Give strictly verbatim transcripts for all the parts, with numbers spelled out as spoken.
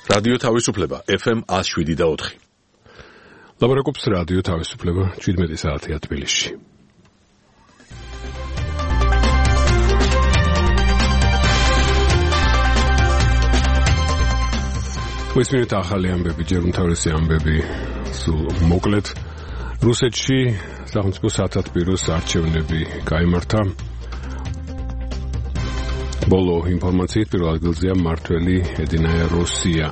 რადიო თავისუფლება ეფ ემ one oh seven და four. ლაპარაკობს რადიო თავისუფლება seventeen საათია თბილისში. მისმინეთ ახალი ამბები, ჯერ უმთავრესი ამბები სულ მოკლედ. რუსეთში სახელმწიფო სათათბიროს არჩევნები გაიმართა. ბოლო ინფორმაციით პირველ ადგილზეა მმართველი ედინაია როსია.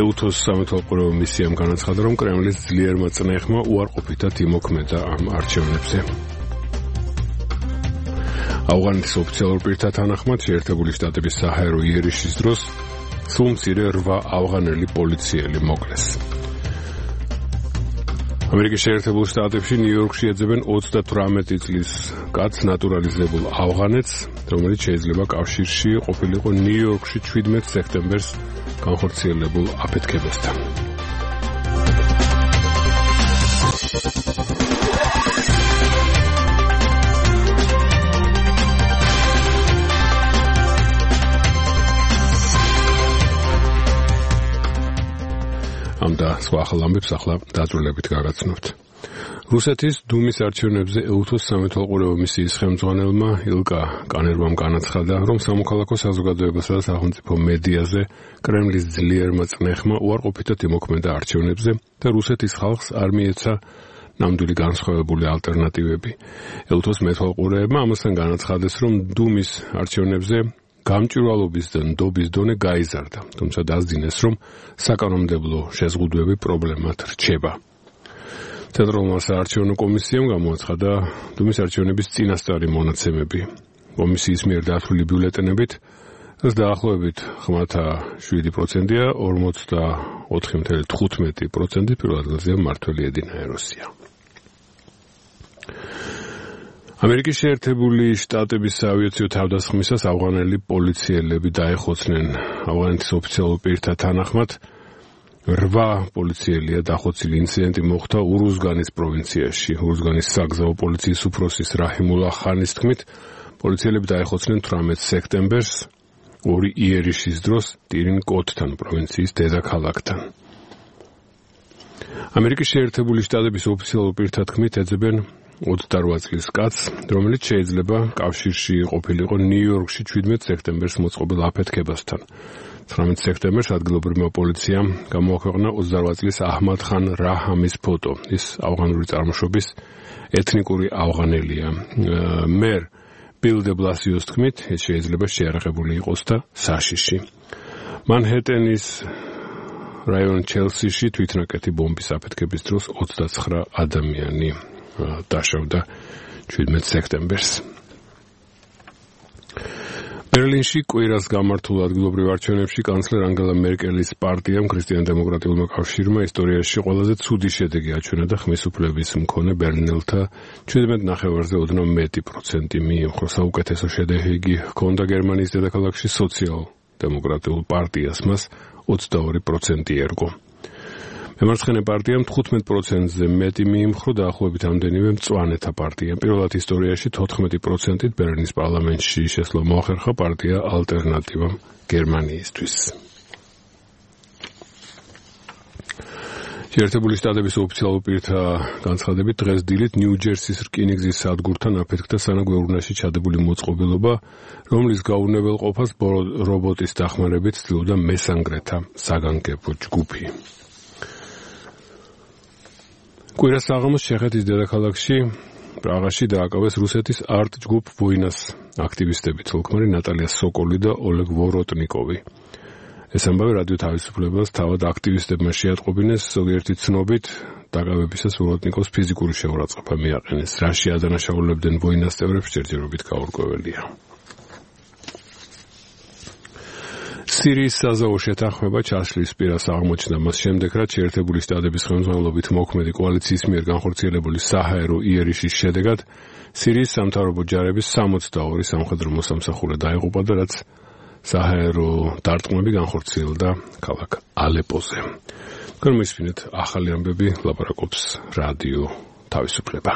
ეუთოს სამეთვალყურეო მისიამ განაცხადა, რომ კრემლის ძლიერმა წნეხმა უარყოფითად იმოქმედა ამ არჩევნებზე. ავღანეთის ოფიციალურ პირთა თანახმად შეერთებული შტატების საჰაერო იერიშის დროს სულ მცირე რვა ავღანელი პოლიციელი მოკლეს. ამერიკის შეერთებულ შტატებში ნიუ-იორკში ეძებენ ოცდათვრამეტი წლის კაცს ნატურალიზებულ ავღანეთს, რომელიც შეიძლება კავშირში ყოფილიყო ნიუ-იორკში seventeen სექტემბერს განხორციელებულ აფეთქებასთან. ამ და სხვა ახალ ამბებს ახლა დაწვრილებით გაგაცნობთ. რუსეთის დუმის არჩევნებზე ეუთოს სამეთვალყურეო მისიის ხელმძღვანელმა ილკა კანერვამ განაცხადა, რომ სამოქალაქო საზოგადოებასა და სახელმწიფო მედიაზე კრემლის ძლიერმა წნეხმა უარყოფითად იმოქმედა არჩევნებზე და რუსეთის ხალხს არ მიეცა ნამდვილი განსხვავებული ალტერნატივები. ეუთოს მეთვალყურეებმა ამასთან განაცხადეს, რომ დუმის არჩევნებზე გამჭვირვალობის და ნდობის დონე გაიზარდა, თუმცა დასძინეს, რომ საკანონმდებლო შეზღუდვები პრობლემად რჩება. ცენტრალურმა საარჩევნო კომისიამ გამოაცხადა დუმის არჩევნების წინასწარი მონაცემები. კომისიის მიერ დათვლილი ბიულეტენებით დაახლოებით seven პროცენტია, forty-four point fifteen პროცენტი პირველ ადგილზეა მმართველი ედინაია როსია. ამერიკის შეერთებული შტატების საავიაციო თავდასხმისას ავღანელი პოლიციელები დაეხოცნენ. ავღანეთის ოფიციალურ პირთა თანახმად რვა პოლიციელია დახოცილი. ინციდენტი მოხდა ურუზგანის პროვინციაში. ურუზგანის საგზაო პოლიციის უფროსის რაჰიმულა ხანის თქმით, პოლიციელები დაეხოცნენ eighteen სექტემბერს ორი იერიშის დროს ტირინ-კოტთან პროვინციის დედაქალაქთან. ამერიკის შეერთებული შტატების ოფიციალურ პირთა თქმით ეძებენ twenty-eight წლის კაცს, რომელიც შეიძლება კავშირში ყოფილიყო ნიუ-იორკში seventeen სექტემბერს მოწყობილ აფეთქებასთან. nineteen სექტემბერს ადგილობრივმა პოლიციამ გამოაქვეყნა twenty-eight წლის აჰმად ხან რაჰამის ფოტო. ის ავღანური წარმოშობის ეთნიკური ავღანელია. მერ ბილ დე ბლასიოს თქმით, ეს შეიძლება შეარაღებული იყოს და საშიში. მანჰეტენის რაიონ ჩელსიში თვითნაკეთი ბომბის აფეთქების დროს twenty-nine ადამიანი დაშავდა seventeen სექტემბერს. ბერლინში კვირას გამართულ ადგილობრივ არჩევნებში კანცლერ ანგელა მერკელის პარტიამ ქრისტიან-დემოკრატიულმა კავშირმა ისტორიაში ყველაზე ცუდი შედეგი აჩვენა და ხმის უფლების მქონე ბერლინელთა seven ნახევარზე ოდნავ მეტი პროცენტი მიიღო. საუკეთესო შედეგი ჰქონდა გერმანიის დედაქალაქში სოციალ-დემოკრატიულ პარტიას, მას twenty-two პროცენტი ერგო. მემარცხენე პარტიამ fifteen პროცენტზე მეტი მიიმხრო დაახლოებით ამდენივე მწვანეთა პარტიამ. პირველად ისტორიაში fourteen პროცენტით ბერლინის პარლამენტში შესვლა მოახერხა პარტია ალტერნატივამ გერმანიისთვის. შეერთებული შტატების ოფიციალურ პირთა განცხადებით დღეს დილით ნიუ-ჯერსის რკინიგზის სადგურთან აფეთქდა სანაგვეურნაში ჩადებული მოწყობილობა, რომლის გაუნებელყოფას რობოტის დახმარებით ცდილობდა მესანგრეთა საგანგებო ჯგუფი. კვირას საღამოს ჩეხეთის დედაქალაქში პრაღაში დააკავეს რუსეთის არტ ჯგუფ ვოინას აქტივისტები, თოლქმარი ნატალია სოკოლი და ოლეგ ვოროტნიკოვი. ეს ამბავი რადიო თავისუფლებას თავად აქტივისტებმა შეატყობინეს, ზოგიერთი ცნობით დაკავებისას ვოროტნიკოვს ფიზიკური შეურაცხყოფა მიაყენეს. რაში ადანაშაულებდნენ ვოინას წევრებს ჯერჯერობით გაურკვეველია. სირიის საზავო შეთანხმება ჩასლის პირას აღმოჩნდა მას შემდეგ, რაც შეერთებული შტატების ხელმძღვანელობით მოქმედი კოალიციის მიერ განხორციელებული საჰაერო იერიშის შედეგად სირიის სამთავრობო ჯარების sixty-two სამხედრო მოსამსახურე დაიღუპა და რაც საჰაერო დარტყმები განხორციელდა ქალაქ ალეპოზე. გორმისმინეთ ახალი ამბები, ლაპარაკობს რადიო თავისუფლება.